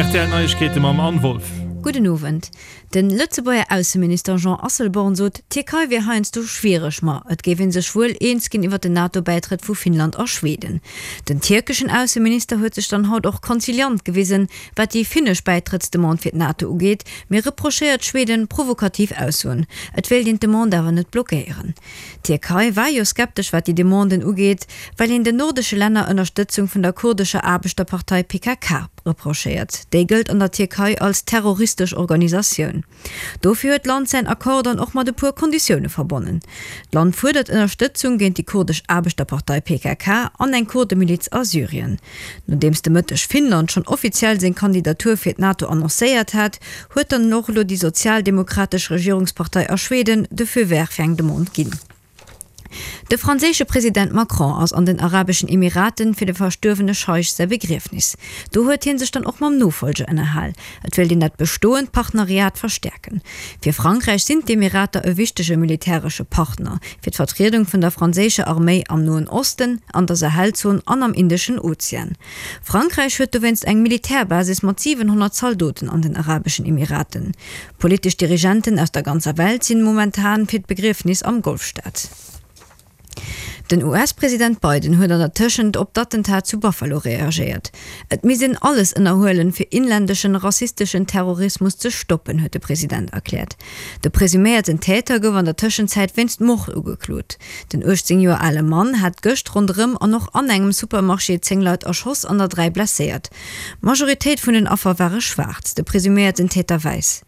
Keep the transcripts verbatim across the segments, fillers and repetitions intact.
R T L Neiegkeete mam Anne Wolff. Gudden Owend. De Lëtzebuerger Ausseminister Jean Asselborn sot, d'Tierkei wier heiansdo schwiereg, ma et géif ee sech wuel eens ginn iwwer den NATO-Bäitrëtt vu Finnland a Schweden. Den tierkeschen Ausseminister huet sech dann haut och konziliant gewisen, wat déi finnesch Bäitrëttsdemande fir d'NATO ugeet, mee reprochéiert Schweden provokativ Aussoen. Et wéilt een d'Demande awer net blockéieren. D'Tierkei war jo skeptesch wat déi Demanden ugeet, well een den nordesche Länner Ënnerstëtzung vun der kurdescher Aarbechterpartei P K K reprochéiert. Déi gëllt an der Tierkei als terroristesch Organisatioun. Dofir huet d'Land säin Accord dann och mat e puer Konditioune verbonnen. D'Land fuerdert Ënnerstëtzung géint déi kurdesch Aarbechterpartei P K K an eng Kurdemiliz a Syrien. Nodeems de Mëtteg Finnland schonn offiziell seng Kandidatur fir d'NATO annoncéiert hat, huet dann och elo déi sozialdemokratesch Regierungspartei a Schweden de Feu vert fir eng Demande ginn. De franséische President Macron ass an den Arabeschen Emiraten fir de verstuerwene Scheich säi Begriefnis. Do huet hie sech dann och mam Nofollger ënnerhal. Et wéilt een dat bestoend Partenariat verstäerken. Fir Frankräich sinn d'Emirater e wichtege militäresche Partner, fir d'Vertriedung vun der franséischer Arméi am Noen Osten, an der Sahelzon an am Indeschen Ozean. Frankräich huet dowéinst eng Militärbasis mat siwenhonnert Zaldoten an den Arabeschen Emiraten. Politesch Dirigenten aus der ganzer Welt sinn momentan fir d'Begriefnis am Golfstaat. Den U S-President Biden huet an der Tëschent op d'Attentat zu Buffalo reagéiert. Et misst een alles ënnerhuelen, fir inländeschen rassisteschen Terrorismus ze stoppen, huet de President erkläert. De presuméierten Täter gouf an der Tëschenzäit wéinst Mord ugeklot. Den uechtzéng Joer ale Mann hat gëscht ronderëm an och an engem Supermarché zéng Leit erschoss an der dräi blesséiert. D'Majoritéit vun den Affer ware schwaarz, de presuméierten Täter wäiss.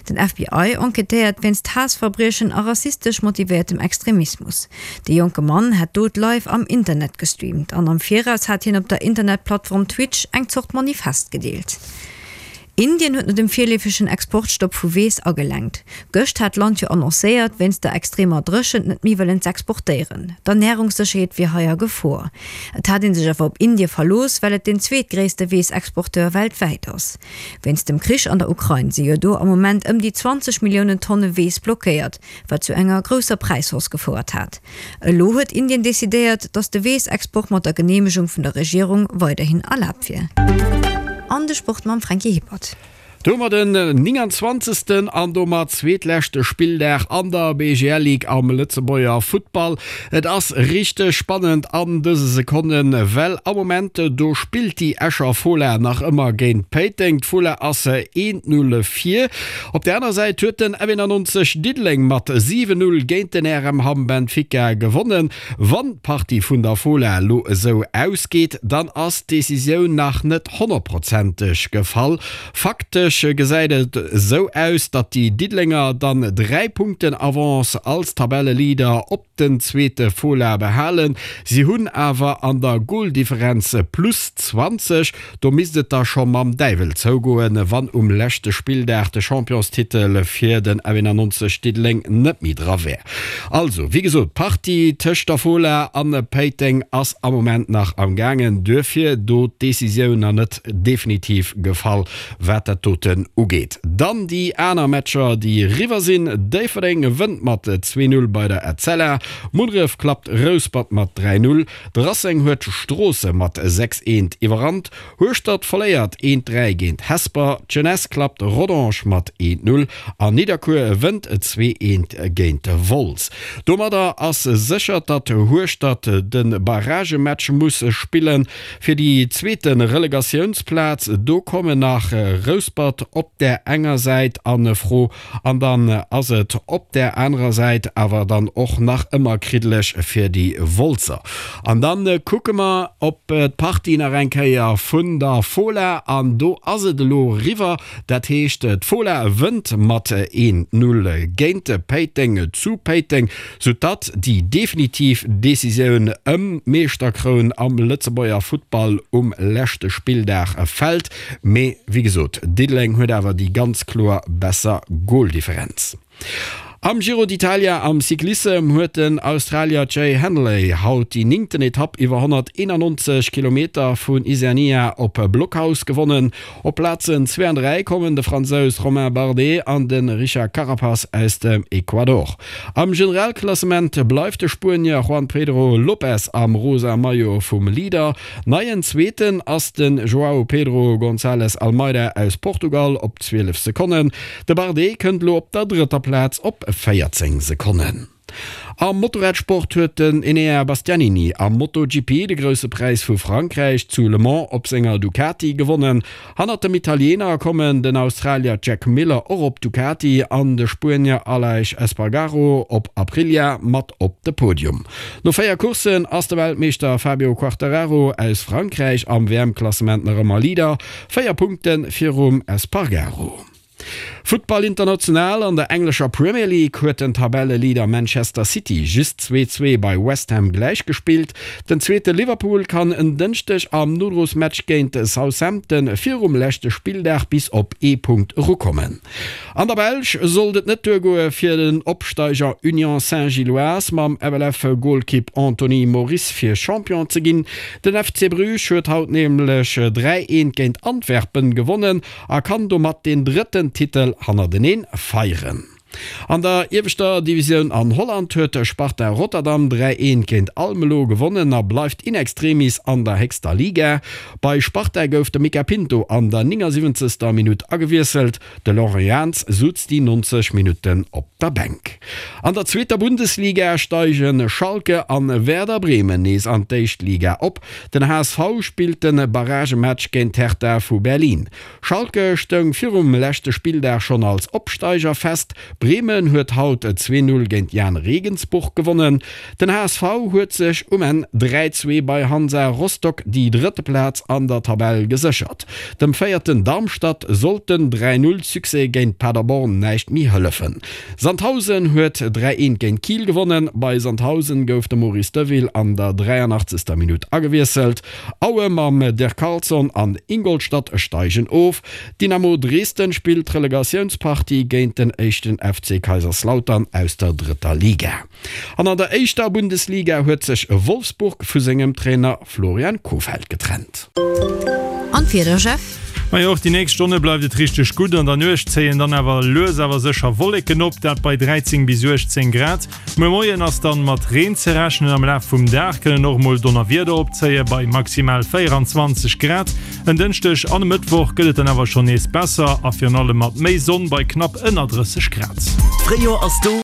Den F B I enquêtéiert wéinst Haassverbriechen a rassistesch motivéiertem Extremismus. De jonke Mann hat d'Dot live am Internet gestreamt an am Viraus hat hien op der Internetplattform Twitch eng Zort Manifest gedeelt. Indien huet no dem virleefegen Exportstopp vu Weess agelenkt. Gëscht hat d'Land jo annoncéiert, wéinst der extremer Dréchent net méi wëllen z'exportéieren. D'Ernärungssécherheet wier hei a Gefor. Et hat ee sech awer op Indie verlooss, well et den zweetgréisste Weessexporteur weltwäit ass. Wéinst dem Krich an der Ukrain si jo do am Moment ëm déi zwanzeg Milliounen Tonne Weess blockéiert, wat zu enger grousser Präishausse gefouert hat. Elo huet Indien decidéiert, datt de Weessexport mat der Geneemegung vun der Regierung weiderhin erlaabt wier. An de Sport mam Franky Hippert. Domat den nénganzwanzegsten an domat zweetleschte Spilldag an der B G L Ligue am Lëtzebuerger Futtball. Et ass richteg spannend an dëse Sekonnen, well am Moment do spillt déi Escher Fola nach ëmmer géint Péiteng. D'Fola ass een Null vir. Op der aner Säit huet den F nonzeg Diddeleng mat siwen Null géint den R M Hamm Benfica gewonnen. Wann d'Partie vun der Fola elo esou ausgeet, dann ass d'Decisioun nach net honnertprozenteg gefall. Faktesch gesäit et esou aus, datt déi Diddelenger dann dräi Punkten Avance als Tabelleleader op den zweete Fola behalen. Si hunn awer an der Goldifferenz plus zwanzeg. Do misst et da scho mam Däiwel zougoen, wann um leschte Spilldag de Championstitel fir den F nonzeg Diddeleng net méi dra wär. Also, wéi gesot, d'Partie tëscht der Fola an Péiteng ass am Moment nach am gaangen, duerfir do d'Decisioun nach net definitiv gefall, wat dat doten ugeet. Dann déi aner Matcher, déi eriwwer sinn, Déifferdeng gewënnt mat zwee Null bei der Etzella, Munneref klappt Rouspert mat dräi Null, de Racing huet Stroossen mat sechs eent iwwerrannt, Hueschtert verléiert eent dräi géint Hesper, d'Jeunesse klappt Rodange mat eent Null an Nidderkuer wënnt zwee eent géint Wolz. Domadder ass sécher, datt Hueschtert de Barragematch muss spillen fir déi zweete Relegatiounsplaz. Do kommen nach Rouspert op der enger Säit a Fro an dann ass et op der anerer Säit awer dann och nach ëmmer kriddeleg fir déi Wolzer. An dann kucke mer op d'Partie nach eng Kéier vun der Fola an do ass et elo eriwwer. Dat heescht, d'Fola wënnt mat een Null géint Péiteng zu Péiteng, soudatt déi definitiv Decisioun ëm d'Meeschterkroun am Lëtzebuerger Futtball um leschte Spilldag fält. Mee wéi gesot, Diddeleng huet awer déi ganz kloer besser Goldifferenz. Am Giro d'Italia am Cyclissem huet den Australier Jai Hindley haut déi néngten Etapp iwwer honnerteenannonzeg Kilometer vun Isernia op Blockhaus gewonnen. Op Plazen zwee an dräi kommen de Fransous Romain Bardet an de Richard Carapaz aus dem Ecuador. Am Generalklassement bleift de Spuenier Juan Pedro Lopez am rosa Maillot vum Leader. Neien Zweeten ass de Joao Pedro Gonçalves Almeida aus Portugal op zwielef Sekonnen. De Bardet kënnt elo op der drëtter Plaz op véierzéng Sekonnen. Am Motorradsport huet den Enea Bastianini am MotoGP de Grousse Präis vu Frankräich zu Le Mans op senger Ducati gewonnen. Hannert dem Italiener kommen den Australier Jack Miller och op Ducati an de Spuenier Aleix Espargaro op Aprilia mat op de Podium. No véier Courssen ass de Weltmeeschter Fabio Quartararo aus Frankräich am W M-Klassement nach ëmmer Leader, véier Punkte virum Espargaro. Futtball international, An der englescher Premier League huet den Tabelleleader Manchester City just zwee, zwee bei West Ham gläichgespillt. Den zweete Liverpool kann en Dënschdeg am Nodrosmatch géint Southampton virum leschte Spilldag bis op ee Punkt erukommen. An der Belsch sollt et net duergoe fir den Opsteiger Union Saint-Gilloise mam F L F-Golkipp Anthony Moris fir Champion ze ginn. Den F C Bruges huet haut nämlech dräi, eent géint Antwerpen gewonnen a kann domat den drëtten Titel hannerteneen feieren. An der ieweschter Divisioun an Holland huet Sparta Rotterdam dräi eent géint Almelo gewonnen a bleift in extremis an der héchster Liga. Bei Sparta gouf de Mica Pinto an der néngasiwwenzegster Minutt agewiesselt, de Laurent Jans sutz déi nonzeg Minutten op der Bänk. An der zweeter Bundesliga steigen Schalke an Werder Bremen nees an d'éischt Liga op. Den H S V spillt de Barragematch géint Hertha vu Berlin. Schalke stoung virum leschte Spilldag schonn als Opsteiger fest. Bremen huet haut zwee Null géint Jahn Regensburg gewonnen. Den H S V huet sech um Enn dräi zwee bei Hansa Rostock déi drëtte Plaz an der Tabell geséchert. Dem Véierten Darmstadt sollt den dräi Null Succès géint Paderborn näischt méi hëllefen. Sandhausen huet dräi eent géint Kiel gewonnen. Bei Sandhausen gouf de Maurice Deville an der dräianachtzegster Minutt agewiesselt. Aue mam Dirk Carlson an Ingolstadt steigen of. Dynamo Dresden spillt d'Relegatiounspartie géint den éischten F C Kaiserslautern aus der drëtter Liga. An an der éischter Bundesliga huet sech Wolfsburg vu sengem Trainer Florian Kohfeldt getrennt. An d'Wieder, Jeff? Majo, och déi nächst Stonne bleift et richteg gutt. An der Nuecht zéien dann awer lues awer sécher Wolleken op, dat bei dräizéng bis uechtzéng Grad. Muer Moien ass dann mat Reen ze rechnen, am Laf vum Dag kënnen och mol Donnerwieder opzéie bei maximal véieranzwanzeg Grad. En Dënschdeg an e Mëttwoch gëtt et dann awer schonn nees besser a virun allem mat méi Sonn bei knapp ënner drësseg Grad. D'Fréijoer ass do!